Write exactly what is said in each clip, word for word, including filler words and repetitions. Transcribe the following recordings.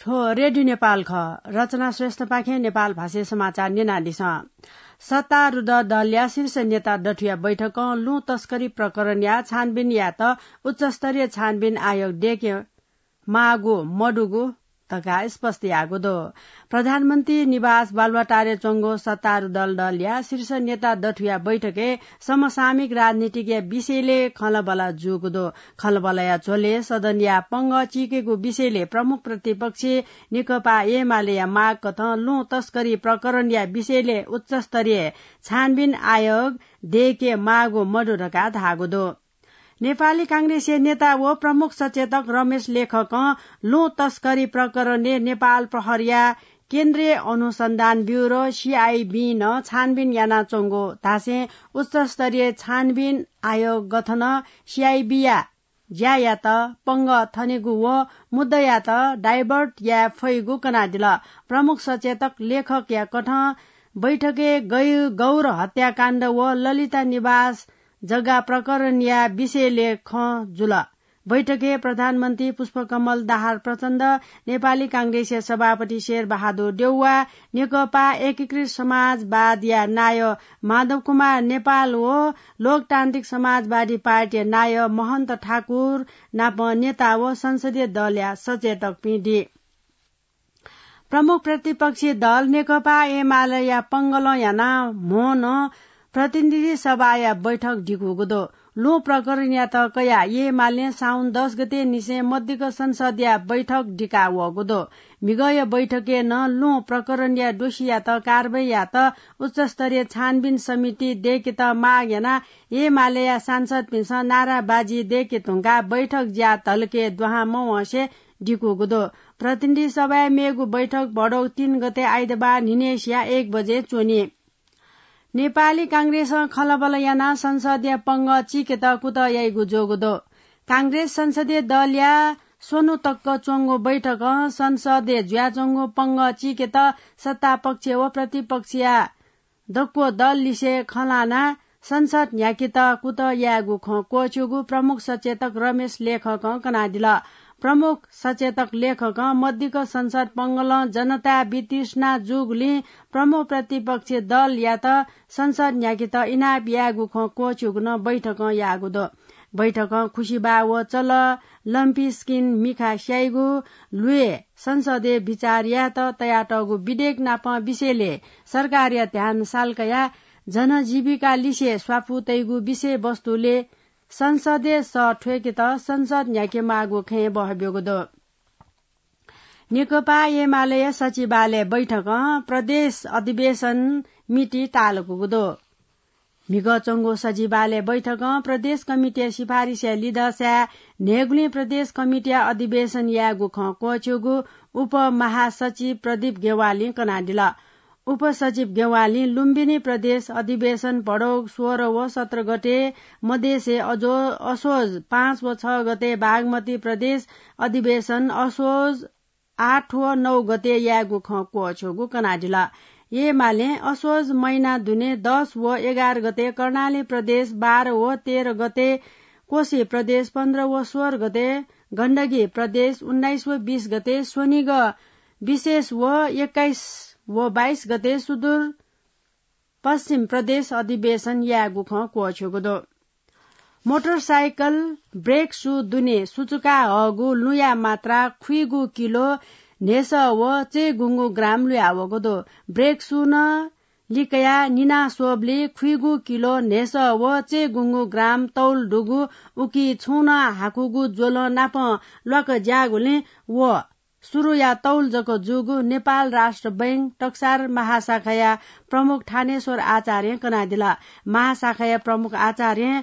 थ्व रेडियो नेपाल खः। रचना श्रेष्ठपाखें नेपाल भाषाय् समाचार न्यनादिसँ। सत्तारूढ दलया शीर्ष नेता दथुया बैठकं लुँ तस्करी प्रकरणया छानबिन यायेत उच्चस्तरीय छानबिन आयोग दय्के माःगु मदुगु धकाः स्पष्ट याःगु दु। प्रधानमन्त्री निवास बालुवाटारय् च्वंगु सत्तारूढ दलया शीर्ष नेता दथुया बैठकय् समसामयिक राजनीतिकया विषयलय् खँल्हाबल्हा जूगु दु। खँल्हाबल्हाया झ्वलय् सदनया पंगः चीकेगु विषयलय् प्रमुख प्रतिपक्षी नेकपा एमालेया माग कथं लुँ तस्करी प्रकरणया विषयलय् उच्चस्तरीय छानबिन आयोग दय्के माःगु मदु धकाः धाःगु दु। नेपाली कांग्रेसया नेता व प्रमुख सचेतक रमेश लेखकं लुँ तस्करी प्रकरणय् नेपाल प्रहरीया केन्द्रीय अनुसन्धान ब्युरो, सीआईबी, नं छानबिन यानाच्वंगु धासें उच्चस्तरीय छानबिन आयोग गठनं सीआईबीया ज्यायात पंगः थनेगु व मुद्दायात divert याये फइगु कनादिल। प्रमुख सचेतक लेखकया कथं बैठकय् गै-, गौर हत्याकाण्ड व ललिता निवास जग्गा प्रकरणया विषयलय् खँ जुल। बैठकय् प्रधानमन्त्री पुष्पकमल दाहाल प्रचण्ड, नेपाली कांग्रेसया सभापति शेरबहादुर देउवा, नेकपा एकीकृत समाजवादया नायः माधव कुमार नेपाल व लोकतान्त्रिक समाजवादी पार्टीया नायः महन्त ठाकुर नाप नेता व संसदीय दलया सचेतकपिं दी। प्रमुख प्रतिपक्षी दल नेकपा एमालेया पंगलं यानाः म्होनं प्रतिनिधि सभाया बैठक दिकूगु दु। लुँ प्रकरणयात कयाः एमालें साउन दस गते निसें मध्यक संसदया बैठक दिका वःगु दु। म्हिगःया बैठकय् नं लुँ प्रकरणया दोषीयात कारवाही यायेत उच्चस्तरीय छानबिन समिति दय्केत माग यानाः एमालेया सांसदपिन्सं नाराबाजी दय्के धुंकाः बैठक ज्या धलके दुहां मवंसे दिकूगु दु। प्रतिनिधि सभाया मेगु बैठक भदौ तीन गते आइतबार न्हिनय्सिया एक बजे च्वनी। नेपाली कांग्रेसं खँल्हाबल्हा यानाः संसदया पंगः चीकेत कुतः याइगु जूगु दु। कांग्रेस संसदीय दलया स्वन्हु तक च्वंगु बैठकं संसदय् जुयाच्वंगु पंगः चीकेत सत्तापक्ष व प्रतिपक्षया दक्व दललिसे खँ ल्हानाः संसद न्ह्याकेत कुतः यायेगु खँ क्वःछ्यूगु प्रमुख सचेतक रमेश लेखकं कनादिल। प्रमुख सचेतक लेखकं मध्यक संसद पंगलं जनता वितृष्णा जूगुलिं प्रमुख प्रतिपक्षी दलयात संसद न्ह्याकेत इनाप यायेगु खँ क्वःछ्यूगु नं बैठकं याःगु दु। बैठकं खुसिबाः व चल, लम्पी स्किन मिखा स्याइगु, ल्वय् संसदय् बिचार यायेत तयातःगु विधेयक नाप विषयलय् सरकारया ध्यान साल कयाः जनजीविका लिसे स्वापू तइगु विषयवस्तुलय् संसदय् सः थ्वय्केत संसद न्ह्याकेमाःगु खँय् बहब्यूगु दु। नेकपा एमालेया सचिवालय बैठकं प्रदेश अधिवेशन मिति तालकूगु दु। म्हिगः च्वंगु सचिवालय बैठकं प्रदेश कमिटीया सिफारिसया लिधःसाय् न्हय्गुलिं प्रदेश कमिटीया अधिवेशन यायेगु खँ क्वःछ्यूगु उपमहासचिव प्रदीप गेवालीं कनादिल। उपसचिव गेवालीं लुम्बिनी प्रदेश अधिवेशन भदौ सोह्र व सत्र गते मधेसय् अजो-, असोज पाँच व छ गते बागमती प्रदेश अधिवेशन असोज आठ व नौ गते यायेगु खँ क्वःछ्यूगु कनादिल। एमालें असोज महिना दुने दस व एघार गते कर्णाली प्रदेश, बाह्र व तेह्र गते कोशी प्रदेश, पन्ध्र व सोह्र गते गण्डकी प्रदेश, उन्नाइस व बीस गते स्वनिगः विशेष व एक्काइस व बाइस गते सुदूर पश्चिम प्रदेश अधिवेशन यायेगु खँ क्वःछ्यूगु दु। मोटरसाइकल ब्रेक सू दुने सुचुका हःगु लुँया मात्रा खुइगु किलो न्हय्सः व चय्गुंगु ग्राम लुयावःगु दु। ब्रेक सू नं लिकया निना स्वःबलय् खुइगु किलो न्हय्सः व चय्गुंगु ग्राम तौल दुगु उकी छुं नं हाकुगु ज्वलं नाप ल्वाक ज्याःगुलिं व सुरुया तौल जक जूगु नेपाल राष्ट्र बैंक टक्सार महाशाखाया प्रमुख थानेश्वर आचार्यं कनादिल। महाशाखाया प्रमुख आचार्यं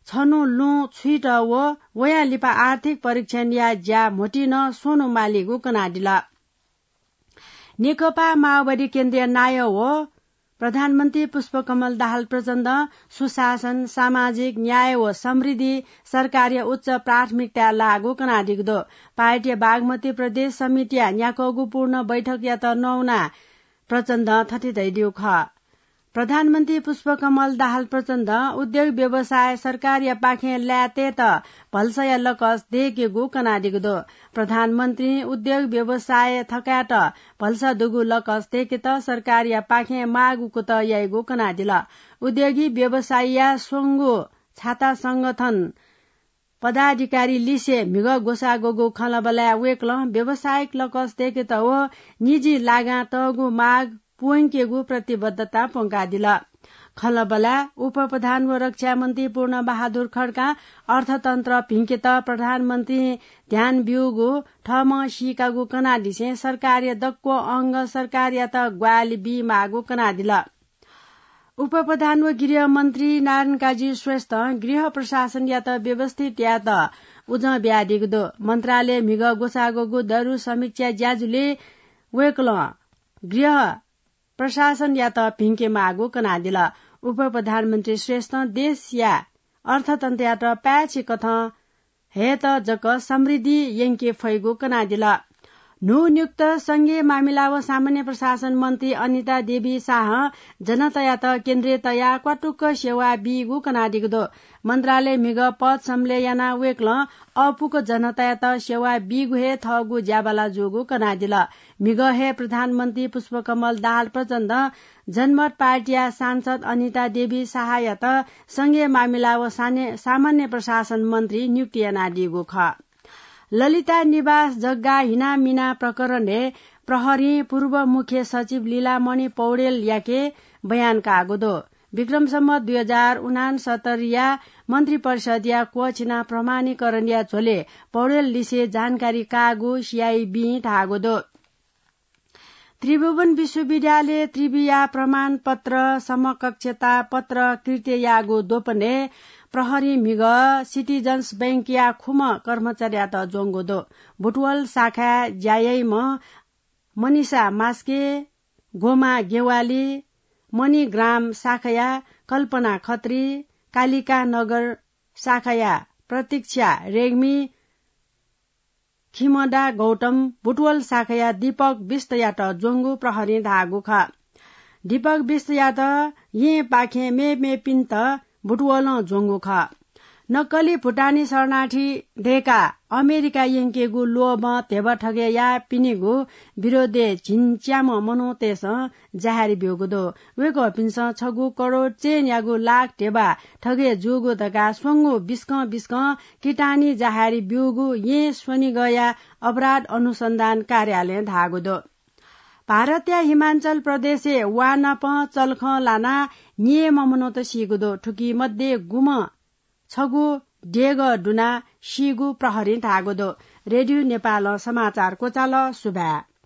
छन्हु लुँ छुइत व वयां लिपा आर्थिक परीक्षणया ज्या म्होतिं नं स्वन्हु मालीगु कनादिल। नेकपा माओवादी केन्द्रीय नायः व प्रधानमन्त्री पुष्पकमल दाहाल प्रचण्डं सुशासन, सामाजिक न्याय व समृद्धि सरकारया उच्च प्राथमिकताय् लाःगु कनादीगु दु। पार्टीया बागमती प्रदेश समितिया न्याकःगु पूर्ण बैठकयात नवानाः प्रचण्डं थथे धयादीगु खः। प्रधानमन्त्री पुष्पकमल दाहाल प्रचण्डं उद्योग व्यवसाय सरकारया पाखें लायेतयेत भलसाया लकस दयेकेगु कनादीगु दु। प्रधानमन्त्रीं उद्योग व्यवसाय थकायेत भलसा दुगु लकस दयेकेत सरकारया पाखें माःगु कुतः याइगु कनादिल। उद्योगी व्यवसायीया स्वंगू छाता संगठन पदाधिकारी लिसे म्हिगः ग्वसाः ग्वःगु खँल्हाबल्हाय् वय्कलं व्यावसायिक लकस दयेकेत व निजी लागां तःगु माग पूवंकेगु प्रतिबद्धता प्वंकादिल। खँल्हाबल्हाय् उपप्रधान व रक्षा मन्त्री पूर्ण बहादुर खड्कां अर्थतन्त्र भिंकेत प्रधानमन्त्रीं ध्यान ब्यूगु थःम्हं सीकागु कनादिसें सरकारया दक्व अंग सरकारयात ग्वाहालि बीमाःगु कनादिल। उपप्रधान व गृह मन्त्री नारायण काजी श्रेष्ठं गृह प्रशासनयात व्यवस्थित यायेत उजं बियादीगु दु। मन्त्रालय म्हिगः ग्वसाः ग्वःगु दरु समीक्षा ज्याझ्वलय् वय्कलं गृह प्रशासनयात भिंके माःगु कनादिल। उपप्रधानमन्त्री श्रेष्ठं देशया अर्थतन्त्रयात पाय्छि कथं हयेत जक समृद्धि यंके फइगु कनादिल। न्हूनियुक्त संघीय मामिला व सामान्य प्रशासन मन्त्री अनिता देवी शाहं जनतायात केन्द्रय् तयाः क्वातुक्क सेवा बीगु कनादीगु दु। मन्त्रालय म्हिगः पद सम्बलय् यानाः वय्कलं अःपुक जनतायात सेवा बीगु हे थःगु ज्याबाला जूगु कनादिल। म्हिगः हे प्रधानमन्त्री पुष्पकमल दाहाल प्रचण्डं जनमत पार्टीया सांसद अनिता देवी शाहयात संघीय मामिला व साने-, सामान्य प्रशासन मन्त्री नियुक्ति यानादीगु खः। ललिता निवास जग्गा हिनामिना प्रकरणय् प्रहरीं पूर्व मुख्य सचिव लीलामणि पौडेलयाके बयान काःगु दु। विक्रम सम्वत दुई हजार उनान्सत्तरीया मन्त्रिपरिषदया क्वःछिना प्रमाणीकरणया झ्वलय् पौडेल लिसे जानकारी काःगु सीआइबीं धाःगु दु। त्रिभुवन विश्वविद्यालय त्रिविया प्रमाणपत्र समकक्षता पत्र कृत्य याःगु द्वपनय् प्रहरीं म्हिगः सिटिजन्स बैंकया खुम्ह कर्मचारीयात ज्वंगु दु। बुटवल शाखाय् ज्या याइम्ह मनिषा मास्के, गोमा गेवाली, मणिग्राम शाखाया कल्पना खत्री, कालिका नगर शाखाया प्रतीक्षा रेग्मी, खिमदा गौतम, बुटवल शाखाया दीपक विष्टयात ज्वंगु प्रहरीं धाःगु खः। दीपक विष्टयात येँपाखें मेमेपिन्त बुटवलं ज्वंगु खः। नक्कली भुटानी शरणार्थी दय्काः अमेरिका यंकेगु लोभं ध्यबा थगय् याःपिनिगु विरोधय् झिंच्याम्ह मनूतय्सं जाहेर ब्यूगु दु। वय्कःपिन्सं छगू करोड चयनयागु लाख ध्यबा थगय् जूगु धकाः स्वंगू बिस्कं बिस्कं किटानी जाहेर ब्यूगु येँ स्वनिगःया अपराध अनुसन्धान कार्यालयं धाःगु दु। भारतया हिमाचल प्रदेशय् वा नाप चल्खं लानाः निम्ह मनूत सीगु दु। थुकी मध्ये गुम्ह छगू देगः दुनाः सीगु प्रहरीं धाःगु दु। रेडियो नेपालं समाचार क्वचाल। सुभाय्।